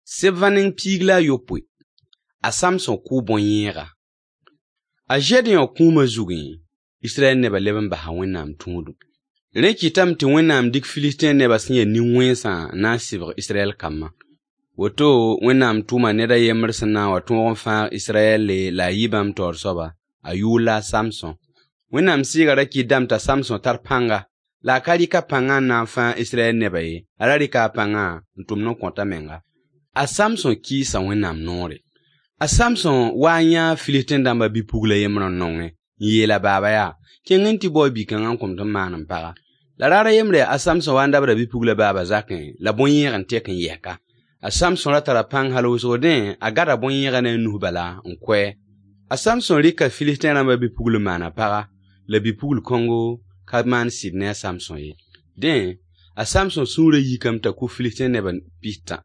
Sebva neng 17. A Samsõ kʋʋ bõn-yẽega. A Zedeõ kũumã zugẽ, Israyɛl nebã leb n basa Wẽnnaam tũudem. Rẽ kɩtame tɩ Wẽnnaam dɩk Filistẽ nebã sẽn ya nin-wẽnsã n na n sɩbg Israyɛl kambã. Woto Wẽnnaam tʋma ned a yembr sẽn na n wa tõog n fãag Israyɛlle la a yɩ bãmb taoor soaba, a yʋʋr la a Samsõ. Wẽnnaam Sɩɩgã ra kɩtdame t'a Samsõ tar pãnga, la a ka rɩk a pãngã n na n fãag Israyɛl nebã ye, a ra rɩka a pãngã n tʋmd n kõt a menga. A Samsõ kɩɩsa Wẽnnaam noore. A Samsõ waa n yãa Filistẽ dãmbã bi-pugl a yembr n nongẽ, n yeel a baaba yaa: Kẽng n tɩ bao bi-kãngã n kõ-m tɩ m maan m paga. La raar a yembre, a Samsõ wa n dabda bi-puglã baaba zakẽ, la bõn-yẽeg n tek n yɛs ka. A Samsõ ra tara pãng hal wʋsg dẽ, a gada bõn-yẽegã ne a nus bala n kʋ-a. A Samsõ rɩka Filistẽ rãmbã bi-pugl n maan a paga, la bi-pugl kõngo ka maan sɩd ne a Samsõ ye. Dẽ, a Samsõ sũurã yikame t'a kʋ Filistẽ neb pistã.